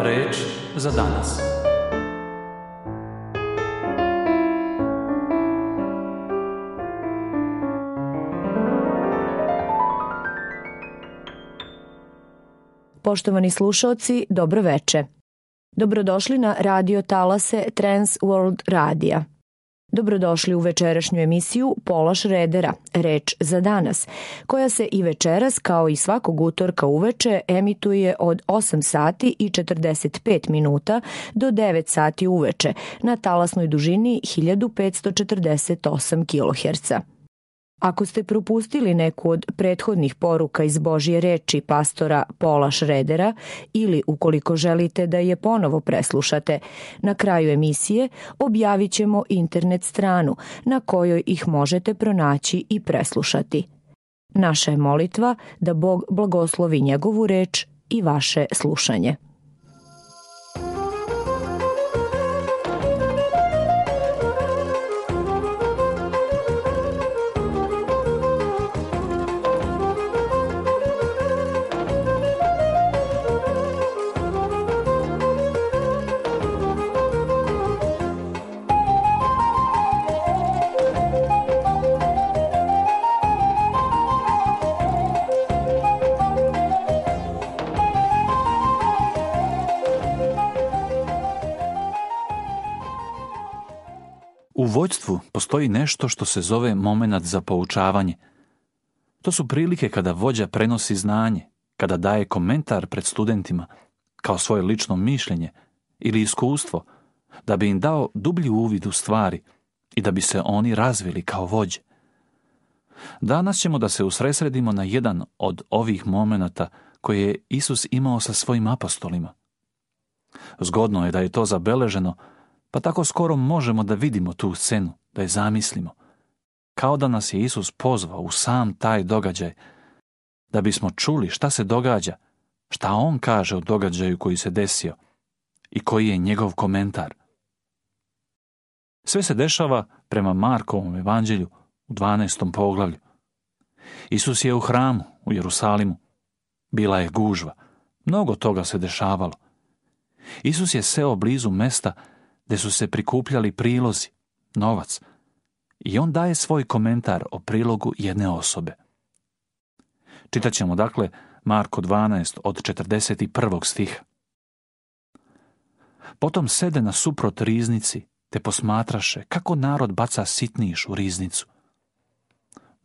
Reč za danas. Poštovani slušaoci, dobro veče. Dobrodošli na radio talase Trans World Radija. Dobrodošli u večerašnju emisiju Pola Šredera, Reč za danas, koja se i večeras, kao i svakog utorka uveče, emituje od 8 sati i 45 minuta do 9 sati uveče na talasnoj dužini 1548 kHz. Ako ste propustili neku od prethodnih poruka iz Božje reči pastora Pola Šredera ili ukoliko želite da je ponovo preslušate, na kraju emisije objavit ćemo internet stranu na kojoj ih možete pronaći i preslušati. Naša je molitva da Bog blagoslovi njegovu reč i vaše slušanje. U vođstvu postoji nešto što se zove momenat za poučavanje. To su prilike kada vođa prenosi znanje, kada daje komentar pred studentima, kao svoje lično mišljenje ili iskustvo, da bi im dao dublji uvid u stvari i da bi se oni razvili kao vođe. Danas ćemo da se usredsredimo na jedan od ovih momenata koje je Isus imao sa svojim apostolima. Zgodno je da je to zabeleženo, pa tako skoro možemo da vidimo tu scenu, da je zamislimo. Kao da nas je Isus pozvao u sam taj događaj, da bismo čuli šta se događa, šta on kaže o događaju koji se desio i koji je njegov komentar. Sve se dešava prema Markovom evanđelju u 12. poglavlju. Isus je u hramu u Jerusalimu. Bila je gužva. Mnogo toga se dešavalo. Isus je seo blizu mesta gde su se prikupljali prilozi, novac, i on daje svoj komentar o prilogu jedne osobe. Čitat ćemo dakle Marko 12 od 41. stiha. Potom sede nasuprot riznici, te posmatraše kako narod baca sitniš u riznicu.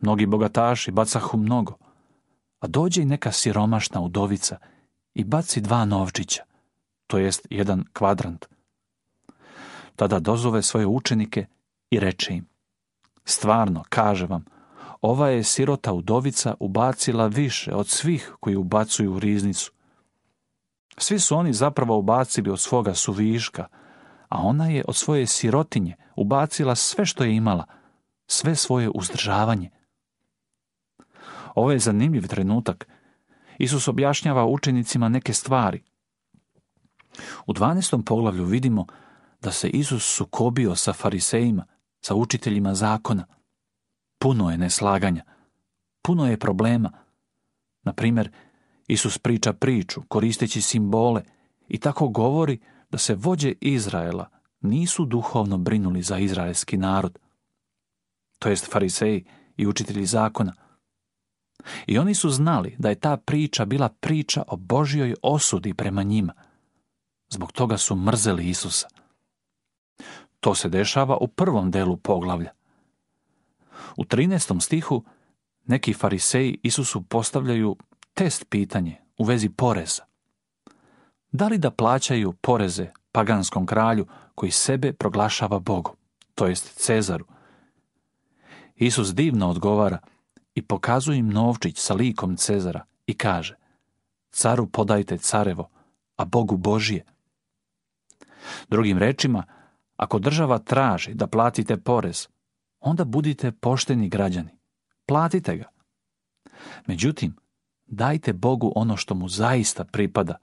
Mnogi bogataši bacahu mnogo, a dođe i neka siromašna udovica i baci 2 novčića, to jest 1 kvadrant. Tada dozove svoje učenike i reče im: stvarno, kaže vam, ova je sirota udovica ubacila više od svih koji ubacuju u riznicu. Svi su oni zapravo ubacili od svoga suviška, a ona je od svoje sirotinje ubacila sve što je imala, sve svoje uzdržavanje. Ovo je zanimljiv trenutak. Isus objašnjava učenicima neke stvari. U 12. poglavlju vidimo da se Isus sukobio sa farisejima, sa učiteljima zakona. Puno je neslaganja, puno je problema. Na primjer, Isus priča priču koristeći simbole i tako govori da se vođe Izraela nisu duhovno brinuli za izraelski narod, to jest fariseji i učitelji zakona. I oni su znali da je ta priča bila priča o Božjoj osudi prema njima. Zbog toga su mrzeli Isusa. To se dešava u prvom delu poglavlja. U 13. stihu neki fariseji Isusu postavljaju test pitanje u vezi poreza. Da li da plaćaju poreze paganskom kralju koji sebe proglašava Bogom, to jest Cezaru? Isus divno odgovara i pokazuje im novčić sa likom Cezara i kaže: caru podajte carevo, a Bogu Božije. Drugim rečima, ako država traži da platite porez, onda budite pošteni građani. Platite ga. Međutim, dajte Bogu ono što mu zaista pripada.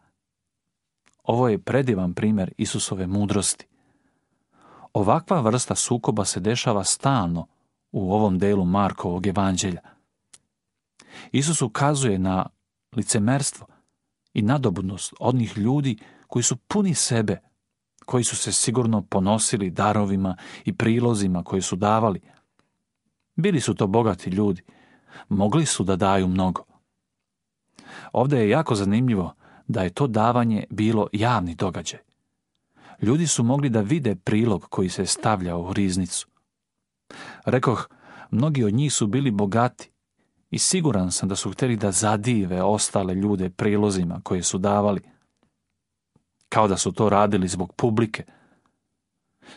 Ovo je predivan primjer Isusove mudrosti. Ovakva vrsta sukoba se dešava stalno u ovom delu Markovog evanđelja. Isus ukazuje na licemerstvo i nadobudnost onih ljudi koji su puni sebe, koji su se sigurno ponosili darovima i prilozima koje su davali. Bili su to bogati ljudi, mogli su da daju mnogo. Ovdje je jako zanimljivo da je to davanje bilo javni događaj. Ljudi su mogli da vide prilog koji se stavljao u riznicu. Rekoh, mnogi od njih su bili bogati i siguran sam da su htjeli da zadive ostale ljude prilozima koje su davali, kao da su to radili zbog publike.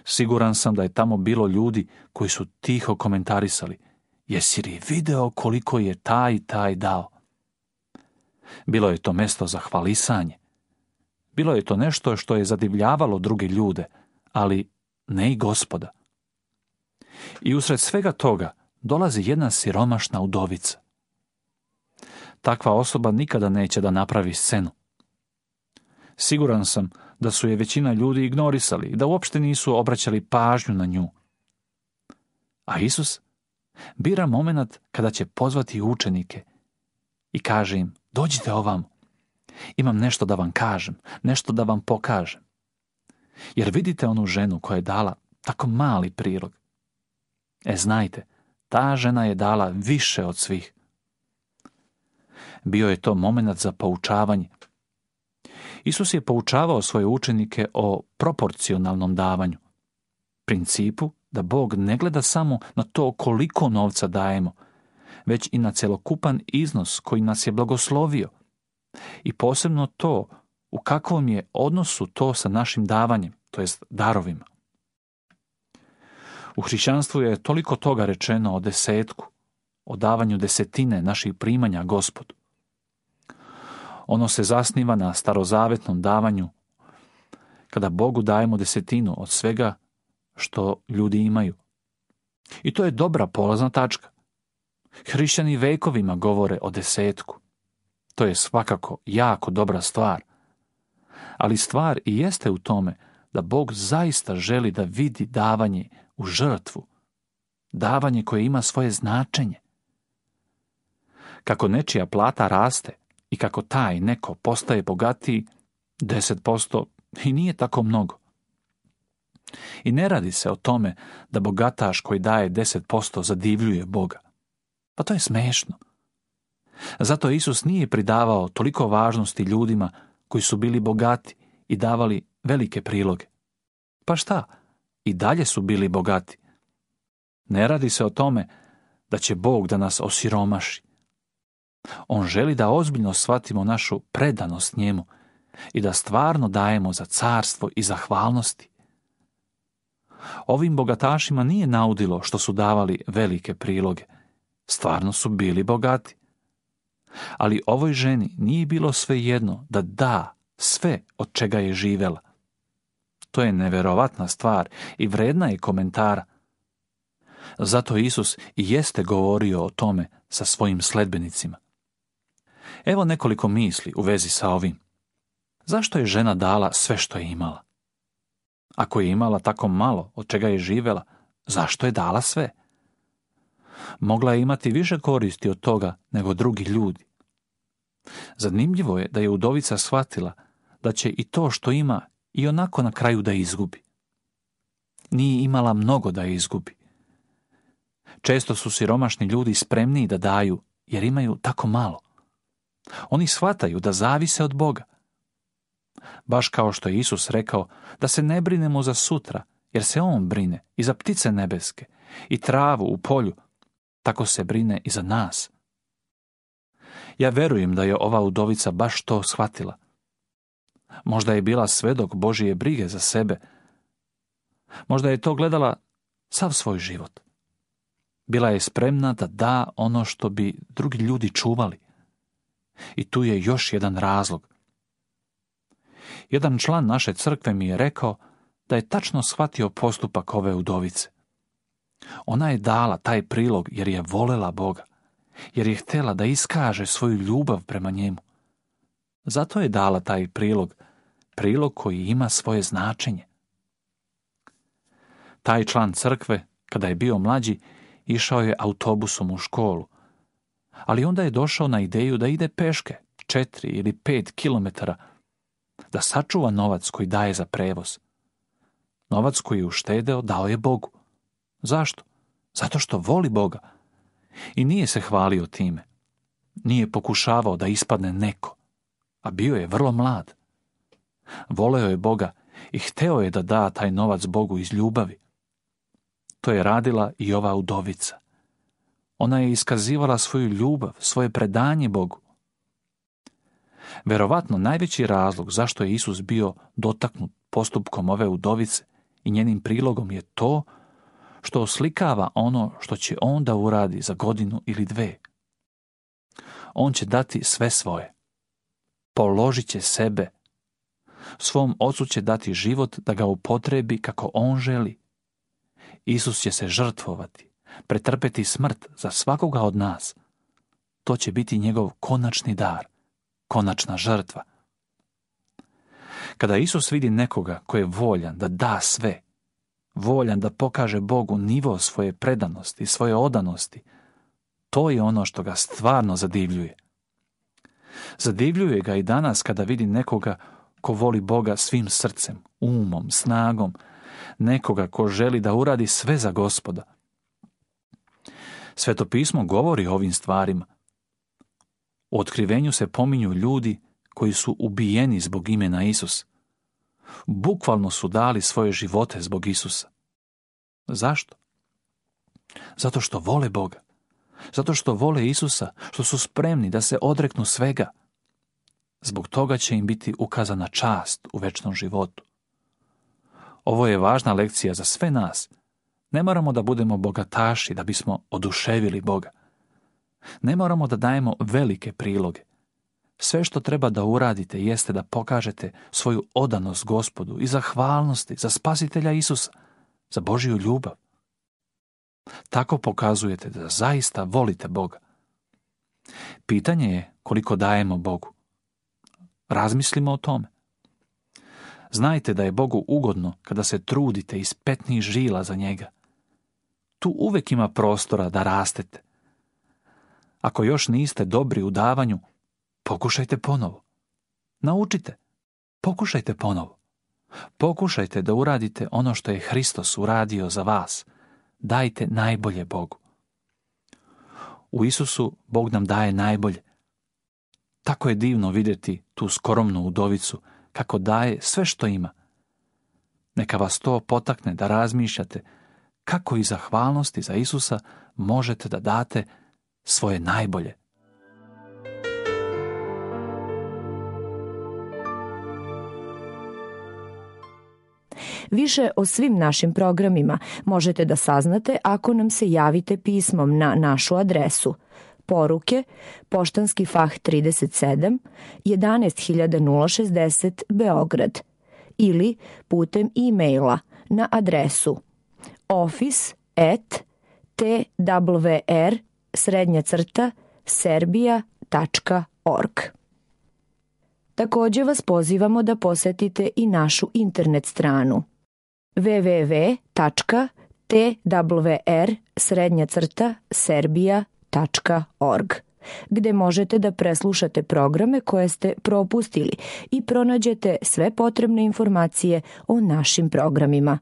Siguran sam da je tamo bilo ljudi koji su tiho komentarisali: jesi li video koliko je taj i taj dao? Bilo je to mesto za hvalisanje. Bilo je to nešto što je zadivljavalo druge ljude, ali ne i Gospoda. I usred svega toga dolazi jedna siromašna udovica. Takva osoba nikada neće da napravi scenu. Siguran sam da su je većina ljudi ignorisali i da uopšte nisu obraćali pažnju na nju. A Isus bira moment kada će pozvati učenike i kaže im: dođite ovamo, imam nešto da vam kažem, nešto da vam pokažem. Jer vidite onu ženu koja je dala tako mali prilog. Znajte, ta žena je dala više od svih. Bio je to moment za poučavanje. Isus je poučavao svoje učenike o proporcionalnom davanju, principu da Bog ne gleda samo na to koliko novca dajemo, već i na celokupan iznos koji nas je blagoslovio i posebno to u kakvom je odnosu to sa našim davanjem, to jest darovima. U hrišćanstvu je toliko toga rečeno o desetku, o davanju desetine naših primanja Gospodu. Ono se zasniva na starozavetnom davanju, kada Bogu dajemo desetinu od svega što ljudi imaju. I to je dobra polazna tačka. Hrišćani vekovima govore o desetku. To je svakako jako dobra stvar. Ali stvar i jeste u tome da Bog zaista želi da vidi davanje u žrtvu, davanje koje ima svoje značenje. Kako nečija plata raste i kako taj neko postaje bogatiji, 10% i nije tako mnogo. I ne radi se o tome da bogataš koji daje 10% zadivljuje Boga. Pa to je smešno. Zato Isus nije pridavao toliko važnosti ljudima koji su bili bogati i davali velike priloge. Pa šta? I dalje su bili bogati. Ne radi se o tome da će Bog da nas osiromaši. On želi da ozbiljno shvatimo našu predanost njemu i da stvarno dajemo za carstvo i zahvalnosti. Ovim bogatašima nije naudilo što su davali velike priloge. Stvarno su bili bogati. Ali ovoj ženi nije bilo svejedno da da sve od čega je živela. To je neverovatna stvar i vredna je komentara. Zato Isus i jeste govorio o tome sa svojim sledbenicima. Evo nekoliko misli u vezi sa ovim. Zašto je žena dala sve što je imala? Ako je imala tako malo od čega je živela, zašto je dala sve? Mogla je imati više koristi od toga nego drugi ljudi. Zanimljivo je da je udovica shvatila da će i to što ima i onako na kraju da izgubi. Nije imala mnogo da je izgubi. Često su siromašni ljudi spremniji da daju jer imaju tako malo. Oni shvataju da zavise od Boga. Baš kao što je Isus rekao da se ne brinemo za sutra, jer se On brine i za ptice nebeske i travu u polju, tako se brine i za nas. Ja verujem da je ova udovica baš to shvatila. Možda je bila svedok Božije brige za sebe. Možda je to gledala sav svoj život. Bila je spremna da da ono što bi drugi ljudi čuvali. I tu je još jedan razlog. Jedan član naše crkve mi je rekao da je tačno shvatio postupak ove udovice. Ona je dala taj prilog jer je volela Boga, jer je htjela da iskaže svoju ljubav prema njemu. Zato je dala taj prilog koji ima svoje značenje. Taj član crkve, kada je bio mlađi, išao je autobusom u školu, ali onda je došao na ideju da ide peške 4 ili 5 kilometara, da sačuva novac koji daje za prevoz. Novac koji je uštedeo dao je Bogu. Zašto? Zato što voli Boga. I nije se hvalio time. Nije pokušavao da ispadne neko, a bio je vrlo mlad. Voleo je Boga i hteo je da da taj novac Bogu iz ljubavi. To je radila i ova udovica. Ona je iskazivala svoju ljubav, svoje predanje Bogu. Verovatno najveći razlog zašto je Isus bio dotaknut postupkom ove udovice i njenim prilogom je to što oslikava ono što će on da uradi za godinu ili dve. On će dati sve svoje. Položit će sebe. Svom ocu će dati život da ga upotrebi kako on želi. Isus će se žrtvovati, pretrpeti smrt za svakoga od nas. To će biti njegov konačni dar, konačna žrtva. Kada Isus vidi nekoga ko je voljan da da sve, voljan da pokaže Bogu nivo svoje predanosti i svoje odanosti, to je ono što ga stvarno zadivljuje. Zadivljuje ga i danas kada vidi nekoga ko voli Boga svim srcem, umom, snagom, nekoga ko želi da uradi sve za Gospoda. Sveto pismo govori o ovim stvarima. U Otkrivenju se pominju ljudi koji su ubijeni zbog imena Isus. Bukvalno su dali svoje živote zbog Isusa. Zašto? Zato što vole Boga. Zato što vole Isusa, što su spremni da se odreknu svega. Zbog toga će im biti ukazana čast u večnom životu. Ovo je važna lekcija za sve nas. Ne moramo da budemo bogataši da bismo oduševili Boga. Ne moramo da dajemo velike priloge. Sve što treba da uradite jeste da pokažete svoju odanost Gospodu i zahvalnosti za Spasitelja Isusa, za Božju ljubav. Tako pokazujete da zaista volite Boga. Pitanje je koliko dajemo Bogu. Razmislimo o tome. Znajte da je Bogu ugodno kada se trudite iz petnih žila za njega. Tu uvek ima prostora da rastete. Ako još niste dobri u davanju, pokušajte ponovo. Naučite. Pokušajte ponovo. Pokušajte da uradite ono što je Hristos uradio za vas. Dajte najbolje Bogu. U Isusu Bog nam daje najbolje. Tako je divno vidjeti tu skromnu udovicu kako daje sve što ima. Neka vas to potakne da razmišljate kako iz zahvalnosti za Isusa možete da date svoje najbolje. Više o svim našim programima možete da saznate ako nam se javite pismom na našu adresu Poruke, Poštanski fah 37, 11060 Beograd ili putem e-maila na adresu office@twr-serbia.org. Također vas pozivamo da posetite i našu internet stranu www.twr-serbia.org, gde možete da preslušate programe koje ste propustili i pronađete sve potrebne informacije o našim programima.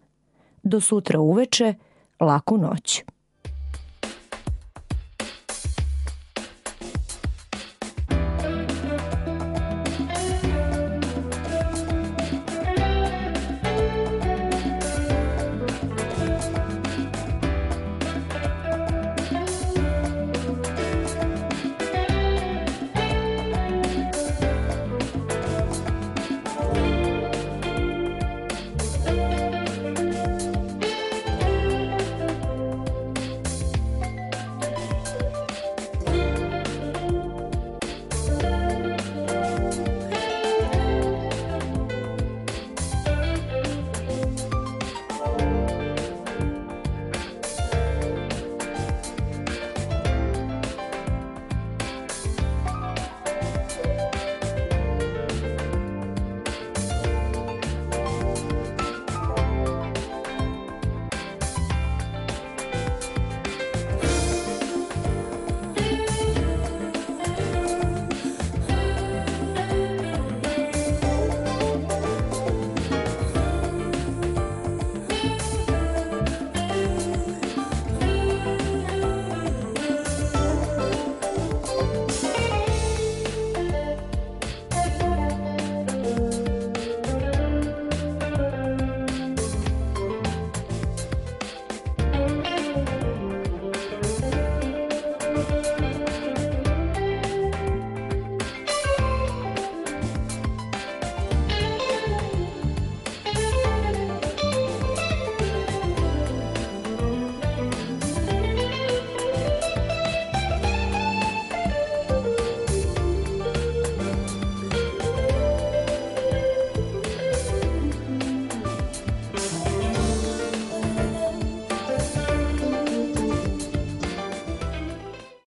Do sutra uveče, laku noć.